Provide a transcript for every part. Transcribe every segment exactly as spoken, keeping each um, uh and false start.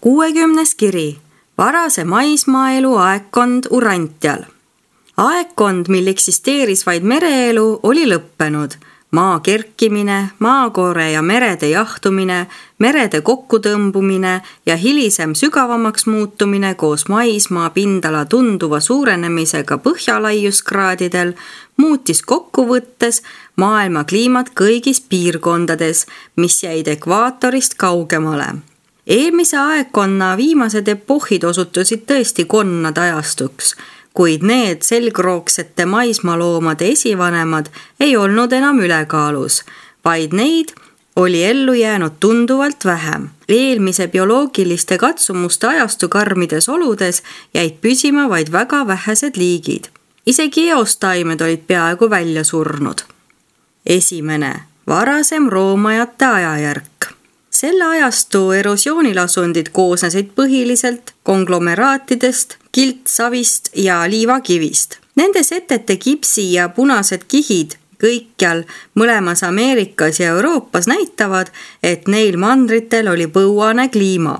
kuuekümnes kiri. Varase maismaaelu aegkond Urantial. Aegkond, mil eksisteeris vaid mereelu, oli lõppenud. Maa kerkimine, maakoore ja merede jahtumine, merede kokkutõmbumine ja hilisem sügavamaks muutumine koos maismaa pindala tunduva suurenemisega põhjalaiuskraadidel muutis kokkuvõttes maailma kliimat kõigis piirkondades, mis jäid ekvaatorist kaugemale. Eelmise aegkonna viimased epohhid osutusid tõesti konnade ajastuks, kuid need selgroogsete maismaaloomade esivanemad ei olnud enam ülekaalus, vaid neid oli ellu jäänud tunduvalt vähem. Eelmise bioloogiliste katsumuste ajastu karmides oludes jäid püsima vaid väga vähesed liigid. Isegi eostaimed olid peaaegu välja surnud. Esimene, varasem roomajate ajajärk. Selle ajastu erosioonilasundid koosnesid põhiliselt konglomeraatidest, kiltsavist ja liivakivist. Nende setete kipsi ja punased kihid kõikjal mõlemas Ameerikas ja Euroopas näitavad, et neil mandritel oli põuane kliima.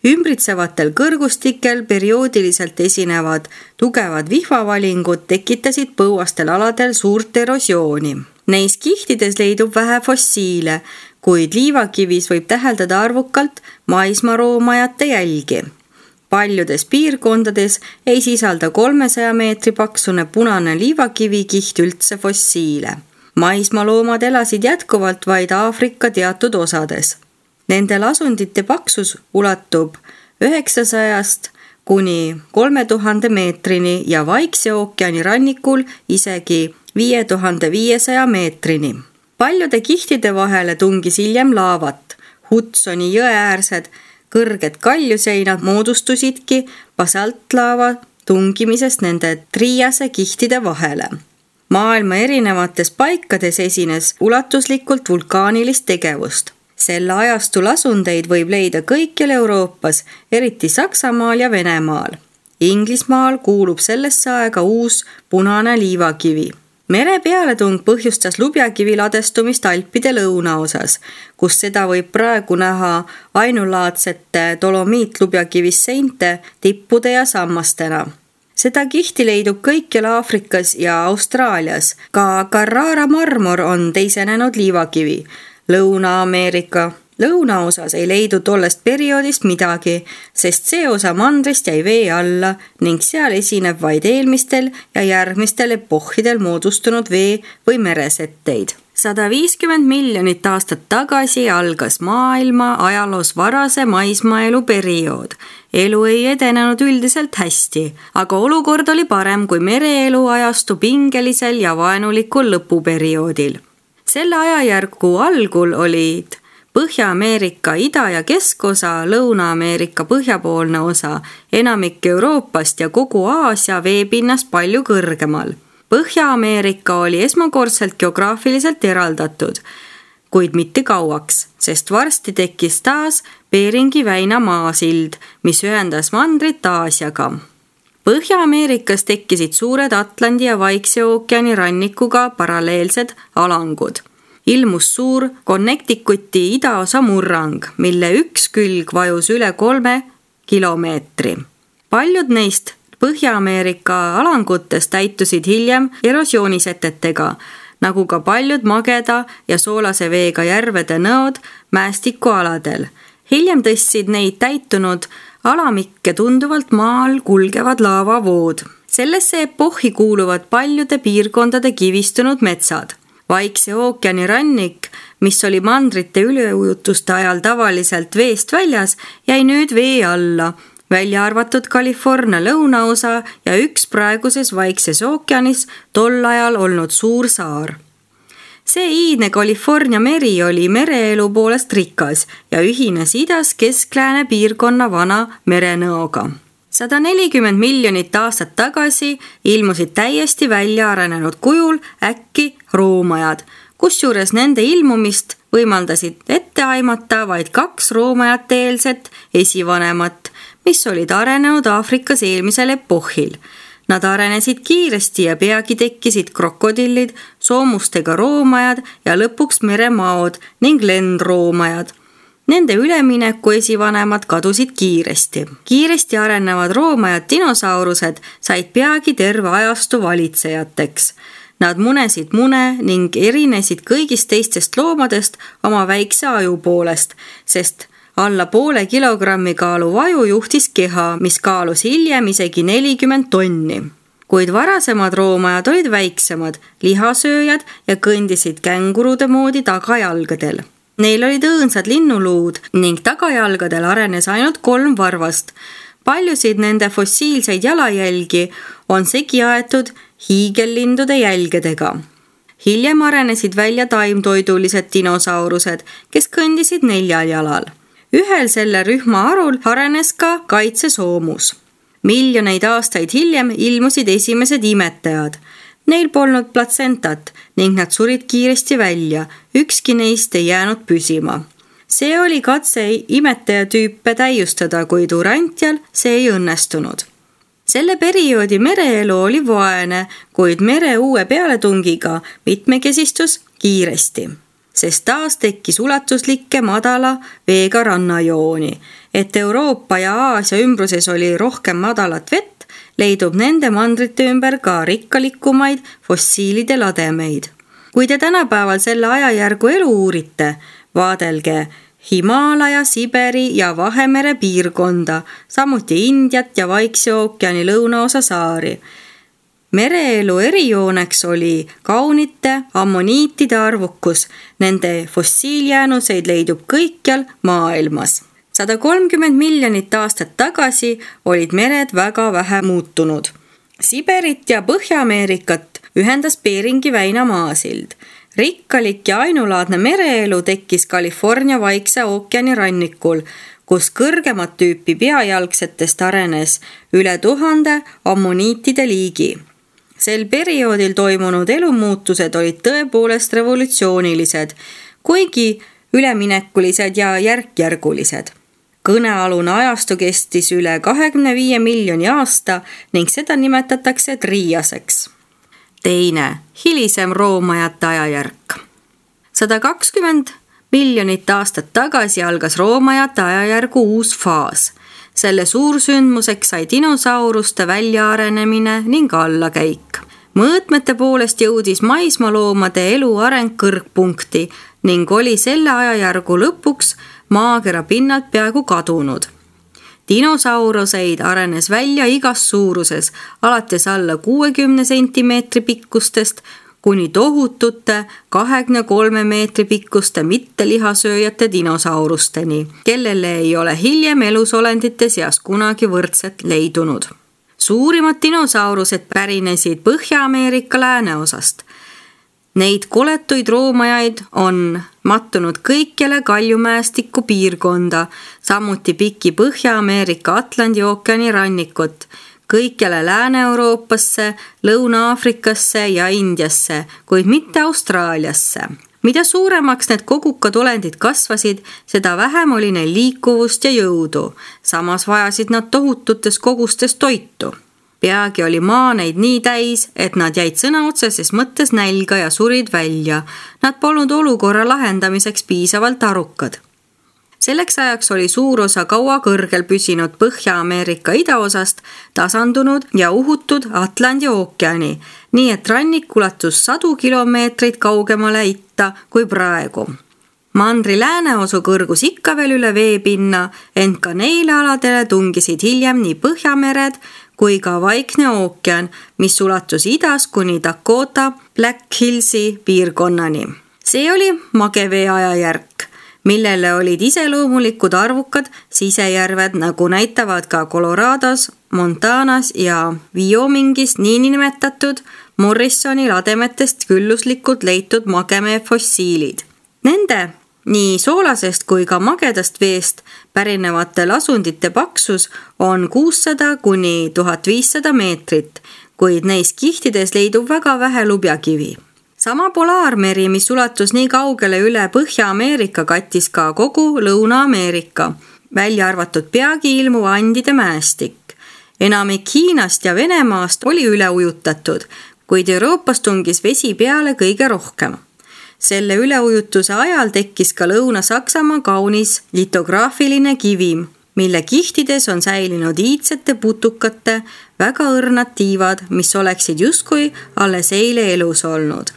Ümbritsevatel kõrgustikel perioodiliselt esinevad tugevad vihvavalingud tekitasid põuastel aladel suurt erosiooni. Neis kihtides leidub vähe fossiile, kuid liivakivis võib täheldada arvukalt maismaaroomajate jälgi. Paljudes piirkondades ei sisalda kolmesaja meetri paksune punane liivakivi kiht üldse fossiile. Maismaaloomad elasid jätkuvalt vaid Aafrika teatud osades. Nende lasundite paksus ulatub üheksasajast kuni kolme tuhande meetrini ja Vaikse ookeani rannikul isegi viie tuhande viiesaja meetrini. Paljude kihtide vahele tungis hiljem laavat. Hudsoni jõeäärsed kõrged kaljuseinad moodustusidki basaltlaava tungimisest nende triase kihtide vahele. Maailma erinevates paikades esines ulatuslikult vulkaanilist tegevust. Selle ajastu lasundeid võib leida kõikjal Euroopas, eriti Saksamaal ja Venemaal. Inglismaal kuulub sellesse aega uus punane liivakivi. Mere pealetung põhjustas lubjakivi ladestumist Alpide lõunaosas, kus seda võib praegu näha ainulaadsete dolomiitlubjakivisseinte, tippude ja sammastena. Seda kihti leidub kõikjal Aafrikas ja Austraalias. Ka Carrara marmor on teisenenud liivakivi. Lõuna-Ameerika lõunaosas ei leidu tollest perioodist midagi, sest see osa mandrist jäi vee alla ning seal esineb vaid eelmistel ja järgmistel epohhidel moodustunud vee- või meresetteid. sada viiskümmend miljonit aastat tagasi algas maailma ajaloos varase maismaaelu periood. Elu ei edenenud üldiselt hästi, aga olukord oli parem kui mereelu ajastu pingelisel ja vaenulikul lõpuperioodil. Selle ajajärgu algul olid Põhja-Ameerika ida- ja keskosa, Lõuna-Ameerika põhjapoolne osa, enamik Euroopast ja kogu Aasia veepinnast palju kõrgemal. Põhja-Ameerika oli esmakordselt geograafiliselt eraldatud, kuid mitte kauaks, sest varsti tekkis taas Beringi väina maasild, mis ühendas mandrit Aasiaga. Põhja-Ameerikas tekkisid suured Atlandi ja Vaikse ookeani rannikuga paralleelsed alangud. Ilmus suur Connecticuti idaosa murrang, mille üks külg vajus üle kolme kilomeetri. Paljud neist Põhja-Ameerika alangutest täitusid hiljem erosioonisetetega, nagu ka paljud mageda ja soolase veega järvede nõod mäestikualadel. Hiljem tõstsid neid täitunud alamikke tunduvalt maal kulgevad laavavood. Sellesse epohhi kuuluvad paljude piirkondade kivistunud metsad. Vaikse ookeani rannik, mis oli mandrite üleujutuste ajal tavaliselt veest väljas, jäi nüüd vee alla, välja arvatud California lõunaosa ja üks praeguses Vaikses ookeanis tol ajal olnud suur saar. See iidne California meri oli mereelu poolest rikas ja ühines idas kesklääne piirkonna vana merenõoga. sada nelikümmend miljonit aastat tagasi ilmusid täiesti välja arenenud kujul äkki roomajad, kusjuures nende ilmumist võimaldasid ette aimata vaid kaks roomajate eelset esivanemat, mis olid arenenud Aafrikas eelmisel epohhil. Nad arenesid kiiresti ja peagi tekkisid krokodillid, soomustega roomajad ja lõpuks meremaod ning lendroomajad. Nende ülemineku esivanemad kadusid kiiresti. Kiiresti arenevad roomajad dinosaurused said peagi terve ajastu valitsejateks. Nad munesid mune ning erinesid kõigist teistest loomadest oma väikse aju poolest, sest alla poole kilogrammi kaalu vaju juhtis keha, mis kaalus hiljem isegi nelikümmend tonni. Kuid varasemad roomajad olid väiksemad, lihasööjad ja kõndisid kängurude moodi tagajalgadel. Neil olid õõnsad linnuluud ning tagajalgadel arenes ainult kolm varvast. Paljusid nende fossiilseid jalajälgi on segi aetud hiigellindude jälgedega. Hiljem arenesid välja taimtoidulised dinosaurused, kes kõndisid neljal jalal. Ühel selle rühma arul arenes ka kaitsesoomus. Miljoneid aastaid hiljem ilmusid esimesed imetajad. Neil polnud platsentat ning nad surid kiiresti välja, ükski neist ei jäänud püsima. See oli katse imetajatüüpe täiustada, kuid Urantial see ei õnnestunud. Selle perioodi mereelu oli vaene, kuid mere uue pealetungiga mitmekesistus kiiresti, sest taas tekkis ulatuslikke madala veega rannajooni. Et Euroopa ja Aasia ümbruses oli rohkem madalat vett, leidub nende mandrite ümber ka rikkalikumaid fossiilide lademeid. Kui te tänapäeval selle ajajärgu elu uurite, vaadelge Himaalaja, Siberi ja Vahemere piirkonda, samuti Indiat ja Vaikse ookeani lõunaosa saari. Mereelu erijooneks oli kaunite ammoniitide arvukus, nende fossiiljäänuseid leidub kõikjal maailmas. sada kolmkümmend miljonit aastat tagasi olid mered väga vähe muutunud. Siberit ja Põhja-Ameerikat ühendas Beringi väina maasild. Rikkalik ja ainulaadne mereelu tekkis California Vaikse ookeani rannikul, kus kõrgemat tüüpi peajalgsetest arenes üle tuhande ammoniitide liigi. Sel perioodil toimunud elumuutused olid tõepoolest revolutsioonilised, kuigi üleminekulised ja järkjärgulised. Kõnealune ajastu kestis üle kahekümne viie miljoni aasta ning seda nimetatakse triiaseks. Teine, hilisem roomajate ajajärk. sada kakskümmend miljonit aastat tagasi algas roomajate ajajärgu uus faas. Selle suursündmuseks sai dinosauruste väljaarenemine ning allakäik. Mõõtmete poolest jõudis maismaaloomade elu areng kõrgpunkti ning oli selle ajajärgu lõpuks maakera pinnalt peaaegu kadunud. Dinosauruseid arenes välja igas suuruses, alates alla kuuekümne sentimeetri pikkustest kuni tohutute kahekümne kolme meetri pikkuste mittelihasööjate dinosaurusteni, kellele ei ole hiljem elusolendite seas kunagi võrdset leidunud. Suurimad dinosaurused pärinesid Põhja-Ameerika lääneosast. Neid koletuid roomajaid on mattunud kõikjale kaljumäestiku piirkonda, samuti piki Põhja-Ameerika Atlandi ookeani rannikut, kõikjale Lääne-Euroopasse, Lõuna-Aafrikasse ja Indiasse, kuid mitte Austraaliasse. Mida suuremaks need kogukad olendid kasvasid, seda vähem oli neil liikuvust ja jõudu. Samas vajasid nad tohututes kogustes toitu. Peagi oli maa neid nii täis, et nad jäid sõna otseses mõttes nälga ja surid välja. Nad polnud olukorra lahendamiseks piisavalt arukad. Selleks ajaks oli suur osa kaua kõrgel püsinud Põhja-Ameerika idaosast tasandunud ja uhutud Atlandi ookeani, nii et rannik ulatus sadu kilomeetreid kaugemale itta kui praegu. Mandri lääneosu kõrgus ikka veel üle veepinna, ent ka neile aladele tungisid hiljem nii Põhjamered kui ka Vaikne ookean, mis ulatus idas kuni Dakota Black Hillsi piirkonnani. See oli magevee ajajärk, millele olid iseloomulikud arvukad sisejärved, nagu näitavad ka Colorados, Montanas ja Wyomingis niinimetatud Morrisoni lademetest külluslikult leitud magevee fossiilid. Nende nii soolasest kui ka magedast veest pärinevate lasundite paksus on kuussada kuni tuhat viissada meetrit, kuid neis kihtides leidub väga vähe lubjakivi. Sama polaarmeri, mis ulatus nii kaugele üle Põhja-Ameerika, kattis ka kogu Lõuna-Ameerika, välja arvatud peagi ilmu Andide mäestik. Enamik Hiinast ja Venemaast oli üle ujutatud, kuid Euroopas tungis vesi peale kõige rohkem. Selle üleujutuse ajal tekkis ka Lõuna-Saksamaa kaunis litograafiline kivim, mille kihtides on säilinud iidsete putukate väga õrnad tiivad, mis oleksid justkui alles eile elus olnud.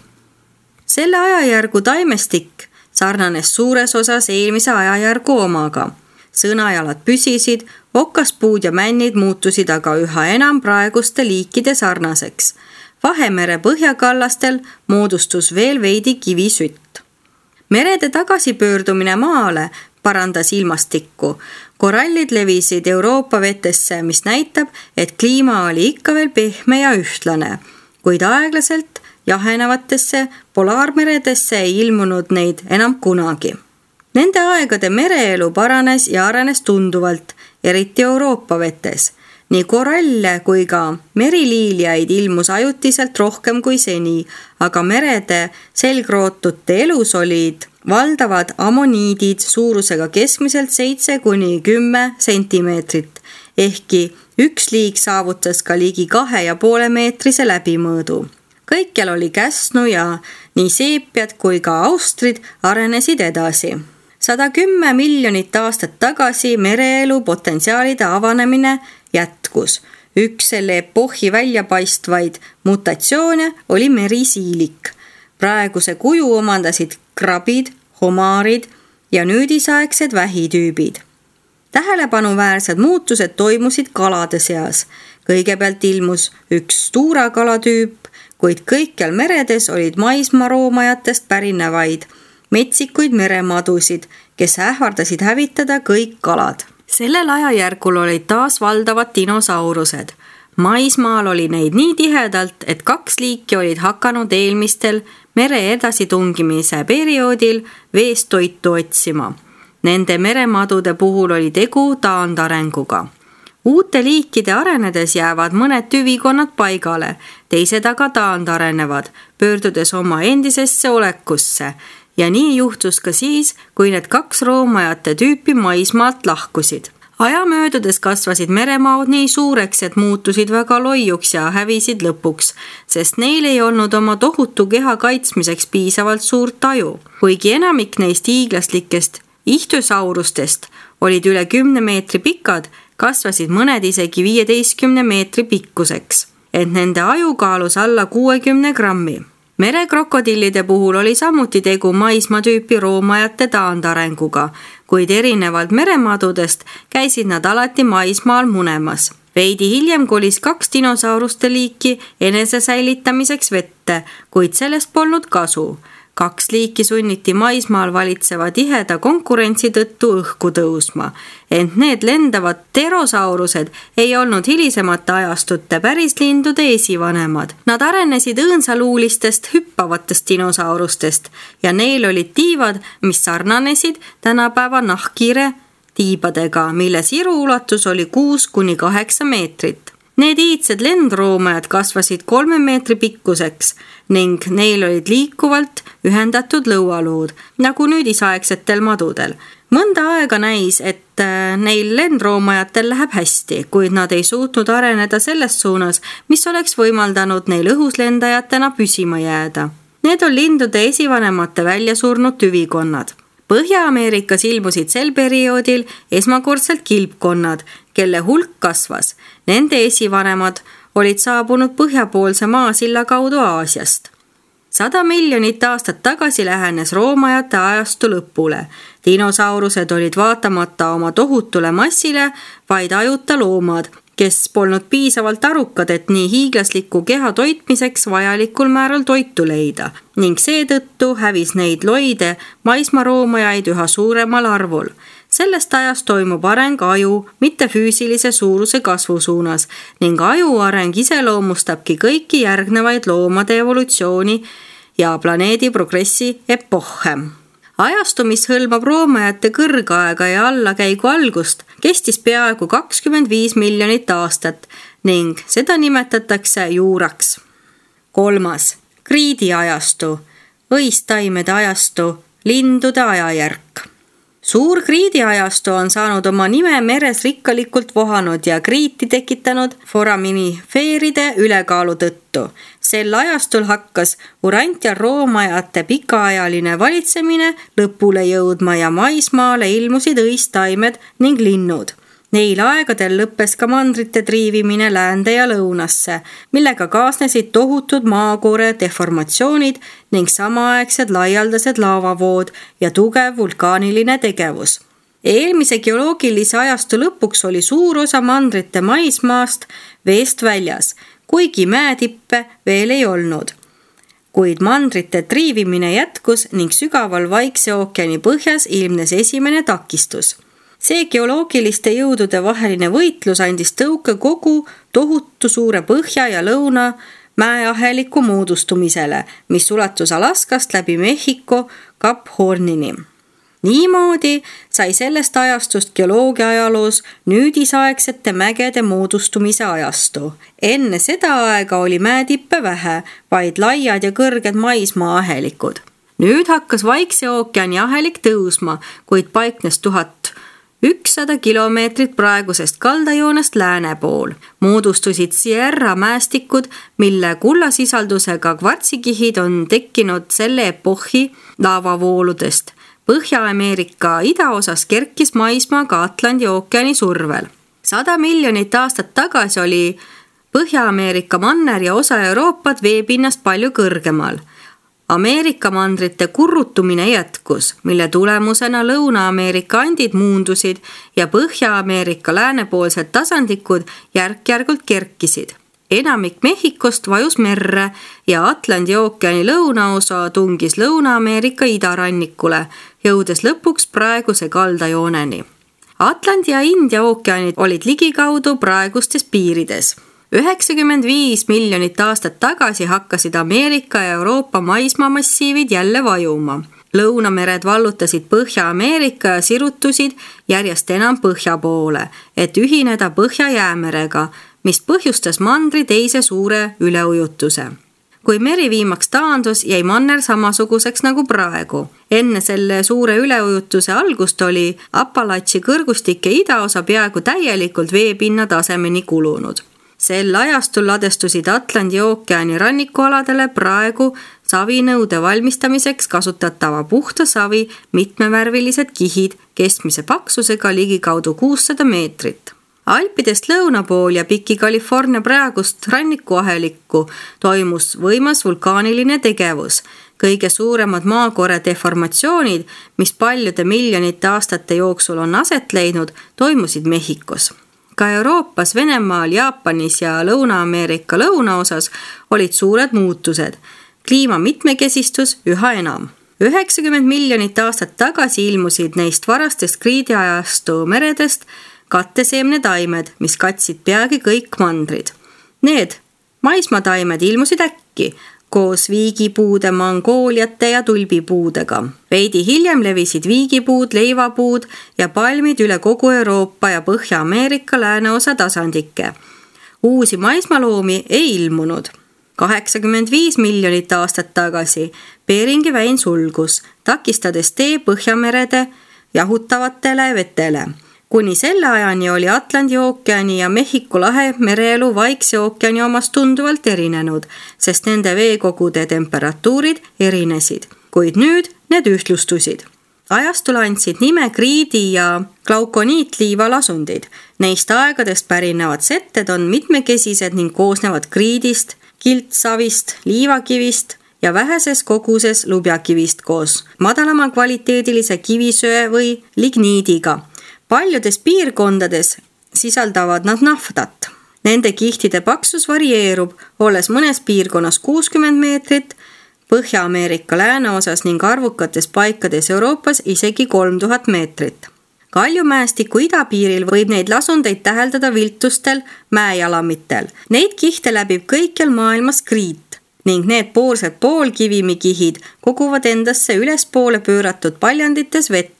Selle ajajärgu taimestik sarnanes suures osas eelmise ajajärgu omaga. Sõnajalad püsisid, okaspuud ja männid muutusid aga üha enam praeguste liikide sarnaseks. Vahemere põhjakallastel moodustus veel veidi kivisütt. Merede tagasipöördumine maale parandas ilmastikku. Korallid levisid Euroopa vetesse, mis näitab, et kliima oli ikka veel pehme ja ühtlane, kuid aeglaselt jahenevatesse polaarmeredesse ei ilmunud neid enam kunagi. Nende aegade mereelu paranes ja arenes tunduvalt, eriti Euroopa vetes. Nii koralle kui ka meriliiliaid ilmus ajutiselt rohkem kui seni, aga merede selgrootute elus olid valdavad ammoniidid suurusega keskmiselt seitse kuni kümme sentimeetrit, ehkki üks liik saavutas ka ligi kahe ja poole meetrise läbimõõdu. Kõikjal oli käsnu ja nii seepiad kui ka austrid arenesid edasi. sada kümme miljonit aastat tagasi mereelu potentsiaalide avanemine jätkus. Üks selle epohhi väljapaistvaid mutatsioone oli merisiilik. Praeguse kuju omandasid krabid, homaarid ja nüüdisaegsed vähitüübid. Tähelepanuväärsed muutused toimusid kalade seas. Kõigepealt ilmus üks tuurakalatüüp, kuid kõikjal meredes olid maismaaroomajatest pärinevaid metsikuid meremadusid, kes ähvardasid hävitada kõik kalad. Sellel ajajärgul olid taas valdavad dinosaurused. Maismaal oli neid nii tihedalt, et kaks liiki olid hakanud eelmistel mere edasitungimise perioodil veest toitu otsima. Nende meremadude puhul oli tegu taandarenguga. Uute liikide arenedes jäävad mõned tüvikonnad paigale, teised aga taandarenevad, pöördudes oma endisesse olekusse. Ja nii juhtus ka siis, kui need kaks roomajate tüüpi maismaalt lahkusid. Aja möödudes kasvasid meremaod nii suureks, et muutusid väga loiuks ja hävisid lõpuks, sest neil ei olnud oma tohutu keha kaitsmiseks piisavalt suurt taju. Kuigi enamik neist hiiglaslikest ihtysaurustest olid üle kümne meetri pikad, kasvasid mõned isegi viieteistkümne meetri pikkuseks, et nende aju kaalus alla kuuekümne grammi. Merekrokodillide puhul oli samuti tegu maismaatüüpi roomajate taandarenguga, kuid erinevalt meremadudest käisid nad alati maismaal munemas. Veidi hiljem kolis kaks dinosauruste liiki enese säilitamiseks vette, kuid sellest polnud kasu. Kaks liiki sunniti maismaal valitseva tiheda konkurentsi tõttu õhku tõusma, ent need lendavad pterosaurused ei olnud hilisemate ajastute pärislindude esivanemad. Nad arenesid õõnsaluulistest hüppavatest dinosaurustest ja neil olid tiivad, mis sarnanesid tänapäeva nahkhiire tiibadega, mille siru ulatus oli kuus kuni kaheksa meetrit. Need iidsed lendroomajad kasvasid kolme meetri pikkuseks ning neil olid liikuvalt ühendatud lõualuud, nagu nüüdisaegsetel madudel. Mõnda aega näis, et neil lendroomajatel läheb hästi, kuid nad ei suutnud areneda selles suunas, mis oleks võimaldanud neil õhuslendajatena püsima jääda. Need on lindude esivanemate väljasurnud tüvikonnad. Põhja-Ameerikas ilmusid sel perioodil esmakordselt kilpkonnad, kelle hulk kasvas. Nende esivanemad olid saabunud põhjapoolse maasilla kaudu Aasiast. Sada miljonit aastat tagasi lähenes roomajate ajastu lõpule. Dinosaurused olid vaatamata oma tohutule massile vaid ajuta loomad, kes polnud piisavalt arukad, et nii hiiglasliku keha toitmiseks vajalikul määral toitu leida ning seetõttu hävis neid loide maismaaroomajaid üha suuremal arvul. Sellest ajast toimub areng aju mitte füüsilise suuruse kasvu suunas ning aju areng iseloomustabki kõiki järgnevaid loomade evolutsiooni ja planeedi progressi epohhe. Ajastu, mis hõlmab roomajate kõrgaega ja allakäigu algust, kestis peaaegu kakskümmend viis miljonit aastat ning seda nimetatakse juuraks. Kolmas, kriidiajastu, õistaimede ajastu, lindude ajajärk. Suur kriidiajastu on saanud oma nime meres rikkalikult vohanud ja kriiti tekitanud foraminifeeride ülekaalu tõttu. Sel ajastul hakkas Urantial roomajate pikaajaline valitsemine lõpule jõudma ja maismaale ilmusid õistaimed ning linnud. Neil aegadel lõppes ka mandrite triivimine läände ja lõunasse, millega kaasnesid tohutud maakoore deformatsioonid ning samaaegsed laialdased laavavood ja tugev vulkaaniline tegevus. Eelmise geoloogilise ajastu lõpuks oli suur osa mandrite maismaast veest väljas, kuigi mäetippe veel ei olnud. Kuid mandrite triivimine jätkus ning sügaval Vaikse ookeani põhjas ilmnes esimene takistus. See geoloogiliste jõudude vaheline võitlus andis tõuke kogu tohutu suure põhja ja lõuna mäeaheliku moodustumisele, mis ulatus Alaskast läbi Mehhiko Kap Hornini. Niimoodi sai sellest ajastust geoloogia ajaloos nüüdisaegsete mägede moodustumise ajastu. Enne seda aega oli mäetippe vähe, vaid laiad ja kõrged maismaa-ahelikud. Nüüd hakkas Vaikse ookeani ahelik tõusma, kuid paiknes tuhat ükssada kilomeetrit praegusest kaldajoonest lääne pool. Moodustusid Sierra mäestikud, mille kullasisaldusega kvartsikihid on tekkinud selle epohhi laavavooludest. Põhja-Ameerika idaosas kerkis maismaa ka Atlandi ookeani survel. Sada miljonit aastat tagasi oli Põhja-Ameerika manner ja osa Euroopat veepinnast palju kõrgemal. Ameerika mandrite kurrutumine jätkus, mille tulemusena Lõuna-Ameerika andid muundusid ja Põhja-Ameerika läänepoolsed tasandikud järk-järgult kerkisid. Enamik Mehhikost vajus merre ja Atlandi ookeani lõunaosa tungis Lõuna-Ameerika idarannikule, jõudes lõpuks praeguse kaldajooneni. Atlandi ja India ookeanid olid ligikaudu praegustes piirides. üheksakümmend viis miljonit aastat tagasi hakkasid Ameerika ja Euroopa maismaamassiivid jälle vajuma. Lõunamered vallutasid Põhja-Ameerika ja sirutusid järjest enam põhja poole, et ühineda Põhja-Jäämerega, mis põhjustas mandri teise suure üleujutuse. Kui meri viimaks taandus, jäi manner samasuguseks nagu praegu. Enne selle suure üleujutuse algust oli Appalatši kõrgustike idaosa peaaegu täielikult veepinna tasemeni kulunud. Sel ajastul ladestusid Atlandi ookeani rannikualadele praegu savinõude valmistamiseks kasutatava puhta savi mitmevärvilised kihid keskmise paksusega ligikaudu kuussada meetrit. Alpidest lõuna pool ja piki California praegust rannikuahelikku toimus võimas vulkaaniline tegevus. Kõige suuremad maakoore deformatsioonid, mis paljude miljonite aastate jooksul on aset leidnud, toimusid Mehhikos. Ka Euroopas, Venemaal, Jaapanis ja Lõuna-Ameerika lõunaosas olid suured muutused. Kliima mitmekesistus üha enam. üheksakümmend miljonit aastat tagasi ilmusid neist varastest kriidiajastu meredest katteseemnetaimed, mis katsid peagi kõik mandrid. Need maismataimed ilmusid äkki koos viigipuude, mangooliate ja tulbipuudega. Veidi hiljem levisid viigipuud, leivapuud ja palmid üle kogu Euroopa ja Põhja-Ameerika lääneosa tasandike. Uusi maismaloomi ei ilmunud. kaheksakümmend viis miljonit aastat tagasi Beringi väin sulgus, takistades tee Põhjamerede jahutavatele vetele. Kuni selle ajani oli Atlandi ookeani ja Mehhiko lahe mereelu Vaikse ookeani omast tunduvalt erinenud, sest nende veekogude temperatuurid erinesid, kuid nüüd need ühtlustusid. Ajastul andsid nime kriidi- ja glaukoniitliivalasundid. Neist aegadest pärinevad setted on mitmekesised ning koosnevad kriidist, kiltsavist, liivakivist ja väheses koguses lubjakivist koos madalama kvaliteedilise kivisöe või ligniidiga. Paljudes piirkondades sisaldavad nad naftat. Nende kihtide paksus varieerub, olles mõnes piirkonnas kuuskümmend meetrit, Põhja-Ameerika lääneosas ning arvukates paikades Euroopas isegi kolm tuhat meetrit. Kaljumäestiku idapiiril võib neid lasundeid täheldada viltustel mäejalamitel. Neid kihte läbib kõikjal maailmas kriit ning need poorsed poolkivimikihid koguvad endasse ülespoole pööratud paljandites vett,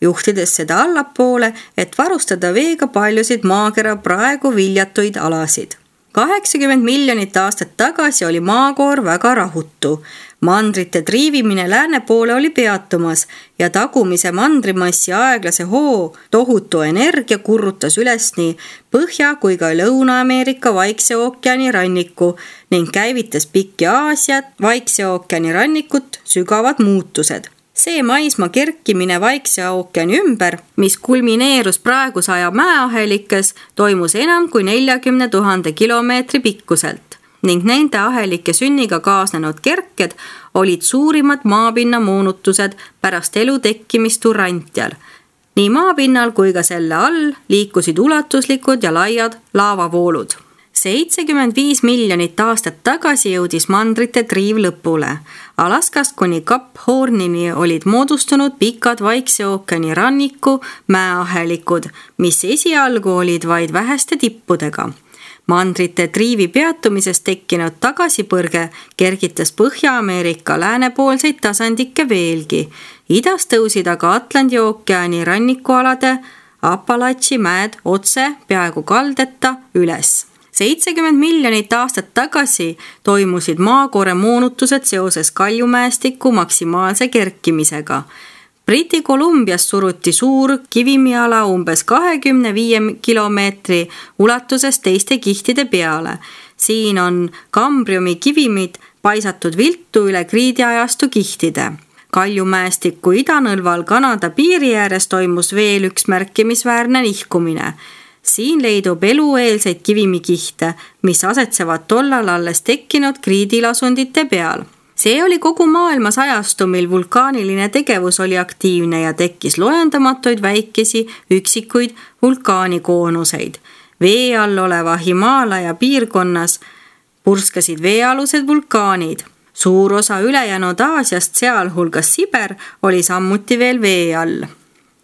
juhtides seda allapoole, et varustada veega paljusid maakera praegu viljatuid alasid. kaheksakümmend miljonit aastat tagasi oli maakoor väga rahutu. mandrite triivimine lääne poole oli peatumas ja tagumise mandrimassi aeglase hoo tohutu energia kurrutas üles nii Põhja- kui ka Lõuna-Ameerika Vaikse ookeani ranniku ning käivitas pikki Aasiat, Vaikse ookeani rannikut sügavad muutused. See maismaa kerkimine Vaikse ookeani ümber, mis kulmineerus praeguse aja mäeahelikes, toimus enam kui neljakümne tuhande kilomeetri pikkuselt ning nende ahelike sünniga kaasnenud kerked olid suurimad maapinna moonutused pärast elu tekkimist Urantial. Nii maapinnal kui ka selle all liikusid ulatuslikud ja laiad laavavoolud. seitsekümmend viis miljonit aastat tagasi jõudis mandrite triiv lõpule. Alaskast kuni Cap Hornini olid moodustunud pikad Vaikse ookeani ranniku mäeahelikud, mis esialgu olid vaid väheste tippudega. Mandrite triivi peatumisest tekkinud tagasipõrge kergitas Põhja-Ameerika läänepoolseid tasandikke veelgi. Idas tõusid aga Atlandi ookeani rannikualade Apalachi mäed otse peaaegu kaldeta üles. seitsekümmend miljonit aastat tagasi toimusid maakore moonutused seoses kaljumäestiku maksimaalse kerkimisega. Briti Kolumbias suruti suur kivimiala umbes kahekümne viie kilomeetri ulatuses teiste kihtide peale. Siin on kambriumi kivimid paisatud viltu üle kriidiajastu kihtide. Kaljumäestiku idanõlval Kanada piiri ääres toimus veel üks märkimisväärne nihkumine. Siin leidub elueelseid kivimikihte, mis asetsevad tollal alles tekkinud kriidilasundite peal. See oli kogu maailmas ajastu, mil vulkaaniline tegevus oli aktiivne ja tekkis loendamatuid väikesi üksikuid vulkaanikoonuseid. Vee all oleva Himaalaja piirkonnas purskasid veealused vulkaanid. Suur osa ülejäänud Aasiast, sealhulgas Siber, oli sammuti veel vee all.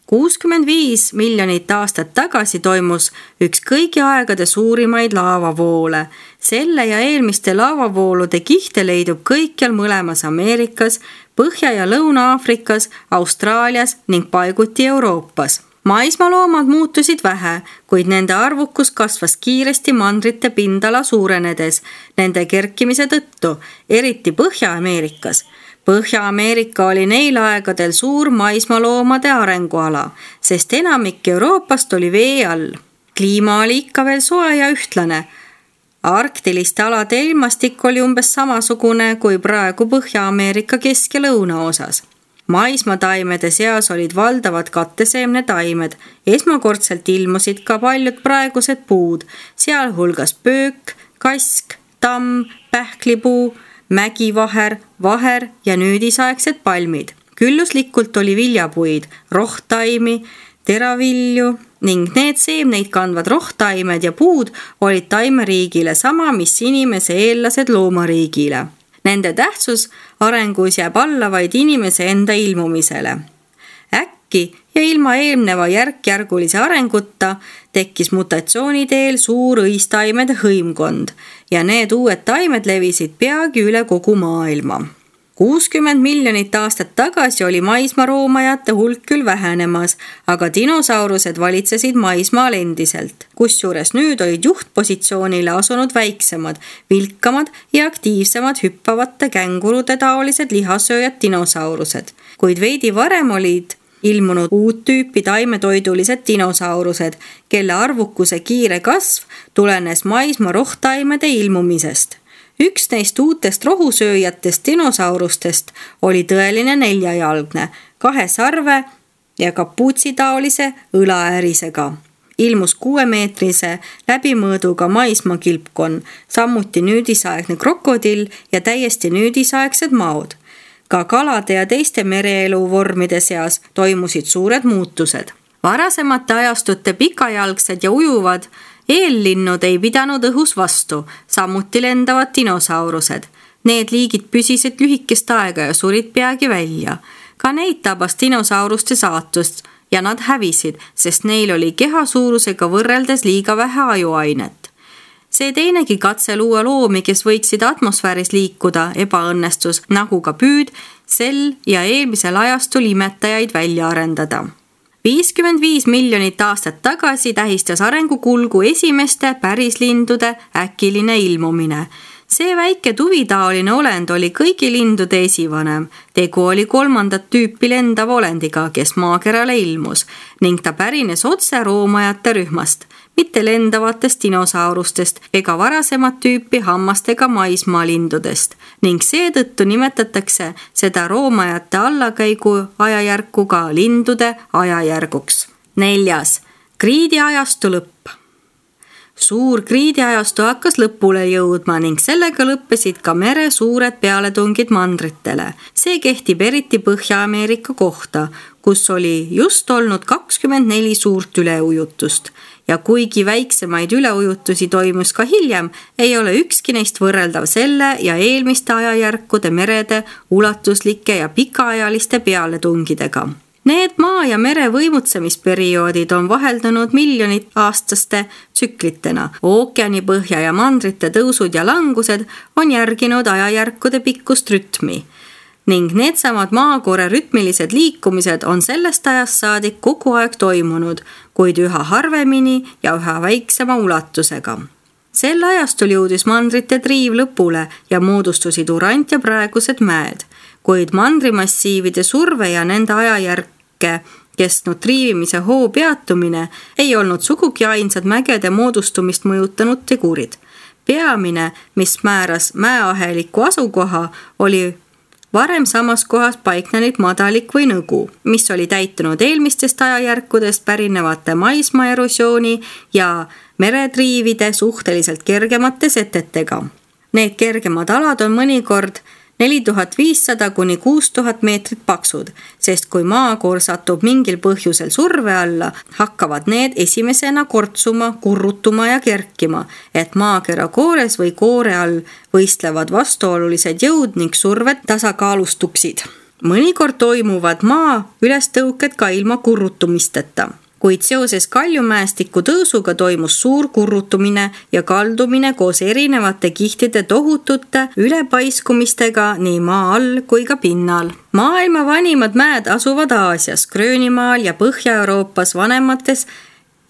kuuskümmend viis miljonit aastat tagasi toimus üks kõigi aegade suurimaid laavavoole. Selle ja eelmiste laavavoolude kihte leidub kõikjal mõlemas Ameerikas, Põhja- ja Lõuna-Aafrikas, Austraalias ning paiguti Euroopas. Maismaaloomad muutusid vähe, kuid nende arvukus kasvas kiiresti mandrite pindala suurenedes nende kerkimise tõttu, eriti Põhja-Ameerikas. Põhja-Ameerika oli neil aegadel suur maismaaloomade arenguala, sest enamik Euroopast oli vee all. Kliima oli ikka veel soe ja ühtlane. Arktiliste alade ilmastik oli umbes samasugune kui praegu Põhja-Ameerika kesk- ja lõunaosas. Maismataimede seas olid valdavad katteseemnetaimed. Esmakordselt ilmusid ka paljud praegused puud, sealhulgas pöök, kask, tamm, pähklipuu, mägivaher, vaher ja nüüdisaegsed palmid. Külluslikult oli viljapuid, rohtaimi, teravilju ning need seemneid kandvad rohtaimed ja puud olid taimeriigile sama, mis inimese eellased loomariigile. Nende tähtsus arengus jääb alla vaid inimese enda ilmumisele. Äkki ja ilma eelneva järk-järgulise arenguta tekkis mutatsiooni teel suur õistaimede hõimkond ja need uued taimed levisid peagi üle kogu maailma. kuuskümmend miljonit aastat tagasi oli maismaaroomajate hulk küll vähenemas, aga dinosaurused valitsesid maismaal endiselt, kusjuures nüüd olid juhtpositsioonile asunud väiksemad, vilkamad ja aktiivsemad hüppavate kängurude taolised lihasööjad dinosaurused. Kuid veidi varem olid ilmunud uut tüüpi taimetoidulised dinosaurused, kelle arvukuse kiire kasv tulenes maismaa rohtaimede ilmumisest. Üks neist uutest rohusööjatest dinosaurustest oli tõeline neljajalgne, kahe sarve ja kapuutsitaolise õlaäärisega. Ilmus kuuemeetrise läbimõõduga maismaakilpkonn, samuti nüüdisaegne krokodill ja täiesti nüüdisaegsed maod. Ka kalade ja teiste mereelu vormide seas toimusid suured muutused. Varasemate ajastute pikajalgsed ja ujuvad eellinnud ei pidanud õhus vastu, samuti lendavad dinosaurused. Need liigid püsisid lühikest aega ja surid peagi välja. Ka neid tabas dinosauruste saatust ja nad hävisid, sest neil oli keha suurusega võrreldes liiga vähe ajuainet. See teinegi katse luua loomi, kes võiksid atmosfääris liikuda, ebaõnnestus, nagu ka püüd, sel ja eelmisel ajastul imetajaid välja arendada. viiskümmend viis miljonit aastat tagasi tähistas arengukulgu esimeste pärislindude äkiline ilmumine. See väike tuvitaoline olend oli kõigi lindude esivanem. Tegu oli kolmandat tüüpi lendav olendiga, kes maakerale ilmus ning ta pärines otse roomajate rühmast, mitte lendavatest dinosaurustest ega varasemat tüüpi hammastega maismaalindudest ning seetõttu nimetatakse seda roomajate allakäigu ajajärku ka lindude ajajärguks. Neljas. Kriidiajastu lõpp. Suur kriidiajastu hakkas lõpule jõudma ning sellega lõppesid ka mere suured pealetungid mandritele. See kehtib eriti Põhja-Ameerika kohta, kus oli just olnud kakskümmend neli suurt üleujutust. Ja kuigi väiksemaid üleujutusi toimus ka hiljem, ei ole ükski neist võrreldav selle ja eelmiste ajajärkude merede ulatuslike ja pikaajaliste pealetungidega. Need maa- ja mere võimutsemisperioodid on vaheldunud miljonit aastaste tsüklitena. Ookeani põhja ja mandrite tõusud ja langused on järginud ajajärkude pikkust rütmi ning needsamad maakoore rütmilised liikumised on sellest ajast saadik kogu aeg toimunud, kuid üha harvemini ja üha väiksema ulatusega. Sel ajastul jõudis mandrite triiv lõpule ja moodustusid Urant ja praegused mäed, kuid mandrimassiivide surve ja nende ajajärk kestnud triivimise hoo peatumine ei olnud sugugi ainsad mägede moodustumist mõjutanud tegurid. Peamine, mis määras mäeaheliku asukoha, oli varem samas kohas paiknenud madalik või nõgu, mis oli täitunud eelmistest ajajärkudest pärinevate maismaa erosiooni ja meretriivide suhteliselt kergemate setetega. Need kergemad alad on mõnikord neli tuhat viissada kuni kuus tuhat meetrit paksud, sest kui maakoor satub mingil põhjusel surve alla, hakkavad need esimesena kortsuma, kurrutuma ja kerkima, et maakera koores või koore all võistlevad vastuolulised jõud ning surved tasakaalustuksid. Mõnikord toimuvad maa ülestõuked ka ilma kurrutumisteta. Kuid seoses kaljumäestiku tõusuga toimus suur kurrutumine ja kaldumine koos erinevate kihtide tohutute ülepaiskumistega nii maa all kui ka pinnal. Maailma vanimad mäed asuvad Aasias, Gröönimaal ja Põhja-Euroopas vanemates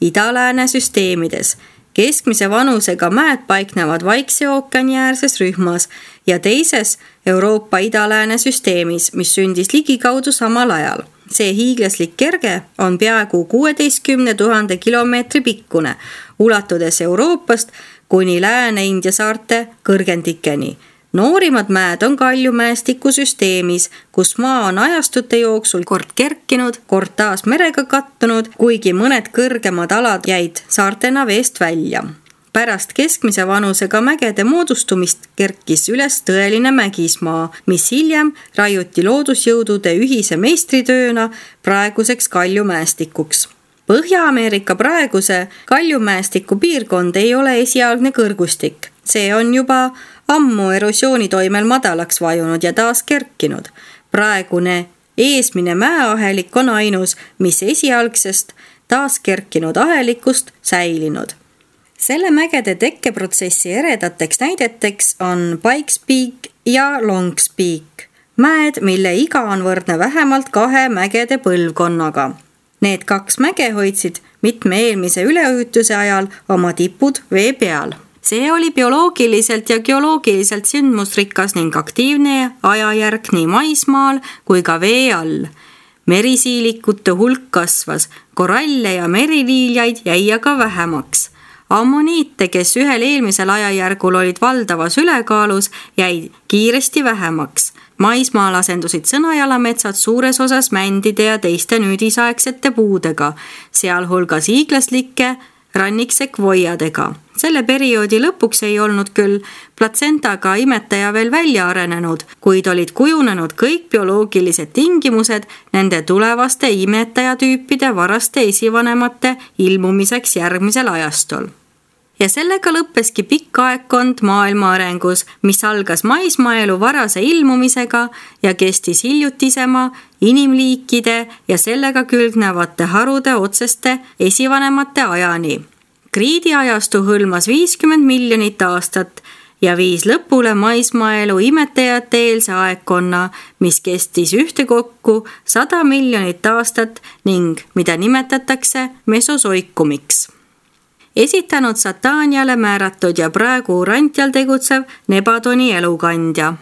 ida-lääne süsteemides. Keskmise vanusega mäed paiknevad Vaikse ookeani äärses rühmas ja teises Euroopa ida-lääne süsteemis, mis sündis ligikaudu samal ajal. See hiiglaslik kerge on peaaegu kuueteistkümne tuhande kilomeetri pikkune, ulatudes Euroopast kuni Lääne-India saarte kõrgendikeni. Noorimad mäed on kaljumäestiku süsteemis, kus maa on ajastute jooksul kord kerkinud, kord taas merega kattunud, kuigi mõned kõrgemad alad jäid saartena veest välja. Pärast keskmise vanusega mägede moodustumist kerkis üles tõeline mägismaa, mis hiljem raiuti loodusjõudude ühise meistritööna praeguseks kaljumäestikuks. Põhja-Ameerika praeguse kaljumäestiku piirkond ei ole esialgne kõrgustik. See on juba ammu erosiooni toimel madalaks vajunud ja taas kerkinud. Praegune eesmine mäeahelik on ainus, mis esialgsest taas kerkinud ahelikust säilinud. Selle mägede tekkeprotsessi eredateks näideteks on Pikes Peak ja Longs Peak, mäed, mille iga on võrdne vähemalt kahe mägede põlvkonnaga. Need kaks mäge hoidsid mitme eelmise üleujutuse ajal oma tipud vee peal. See oli bioloogiliselt ja geoloogiliselt sündmusrikas ning aktiivne ajajärk nii maismaal kui ka vee all. Merisiilikute hulk kasvas, koralle ja meriliiljaid jäi aga vähemaks. Ammoniite, kes ühel eelmisel ajajärgul olid valdavas ülekaalus, jäid kiiresti vähemaks. Maismaal asendusid sõnajalametsad suures osas mändide ja teiste nüüdisaegsete puudega, sealhulgas hiiglaslike ranniksekvoiadega. Selle perioodi lõpuks ei olnud küll platsentaga imetaja veel välja arenenud, kuid olid kujunenud kõik bioloogilised tingimused nende tulevaste imetajatüüpide varaste esivanemate ilmumiseks järgmisel ajastul. Ja sellega lõppeski pikk aegkond maailma arengus, mis algas maismaaelu varase ilmumisega ja kestis hiljutisema inimliikide ja sellega külgnevate harude otseste esivanemate ajani. Kriidiajastu hõlmas viiskümmend miljonit aastat ja viis lõpule maismaaelu imetajate eelse aegkonna, mis kestis ühtekokku sada miljonit aastat ning mida nimetatakse mesosoikumiks. esitanud Sataniale määratud ja praegu Urantial tegutsev Nebadoni elukandja.